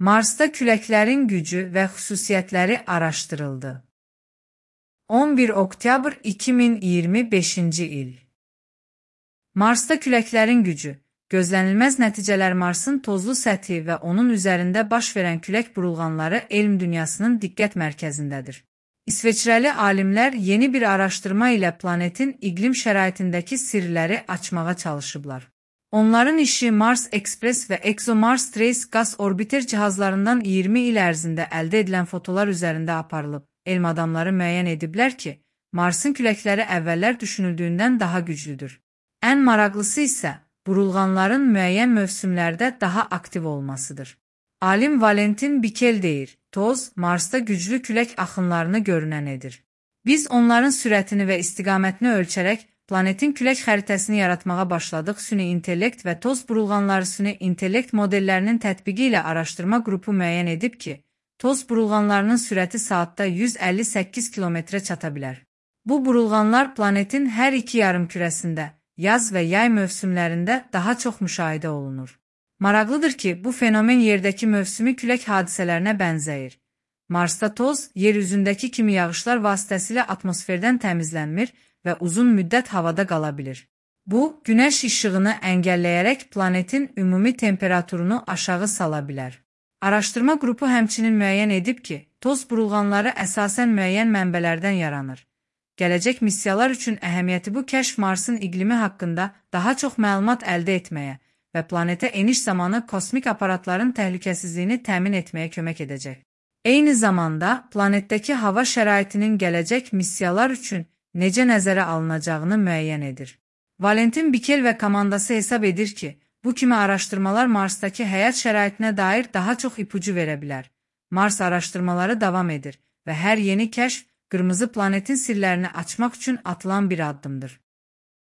Marsda küləklərin gücü və xüsusiyyətləri araşdırıldı. 11 oktyabr 2025-ci il. Marsda küləklərin gücü. Gözlənilməz nəticələr Marsın tozlu səthi və onun üzərində baş verən külək burulğanları elm dünyasının diqqət mərkəzindədir. İsveçrəli alimlər yeni bir araşdırma ilə planetin iqlim şəraitindəki sirləri açmağa çalışıblar. Onların işi Mars Express və ExoMars Trace qaz orbiter cihazlarından 20 il ərzində əldə edilən fotolar üzərində aparılıb. Elm adamları müəyyən ediblər ki, Marsın küləkləri əvvəllər düşünüldüyündən daha güclüdür. Ən maraqlısı isə burulğanların müəyyən mövsümlərdə daha aktiv olmasıdır. Alim Valentin Bikel deyir, toz Marsda güclü külək axınlarını görünən edir. Biz onların sürətini və istiqamətini ölçərək planetin külək xəritəsini yaratmağa başladıq. Süni intellekt və toz burulğanları süni intellekt modellərinin tətbiqi ilə araşdırma qrupu müəyyən edib ki, toz burulğanlarının sürəti saatda 158 kilometrə çata bilər. Bu burulğanlar planetin hər iki yarımkürəsində, yaz və yay mövsümlərində daha çox müşahidə olunur. Maraqlıdır ki, bu fenomen yerdəki mövsümi külək hadisələrinə bənzəyir. Marsda toz, yer üzündəki kimi yağışlar vasitəsilə atmosferdən təmizlənmir və uzun müddət havada qala bilir. Bu, günəş işığını əngəlləyərək planetin ümumi temperaturunu aşağı sala bilər. Araşdırma qrupu həmçinin müəyyən edib ki, toz burulğanları əsasən müəyyən mənbələrdən yaranır. Gələcək missiyalar üçün əhəmiyyəti bu kəşf Marsın iqlimi haqqında daha çox məlumat əldə etməyə və planetə eniş zamanı kosmik aparatların təhlükəsizliyini təmin etməyə kömək edəcək. Eyni zamanda, planetdəki hava şəraitinin gələcək missiyalar üçün necə nəzərə alınacağını müəyyən edir. Valentin Bikel və komandası hesab edir ki, bu kimi araşdırmalar Marsdakı həyat şəraitinə dair daha çox ipucu verə bilər. Mars araşdırmaları davam edir və hər yeni kəşf qırmızı planetin sirlərini açmaq üçün atılan bir addımdır.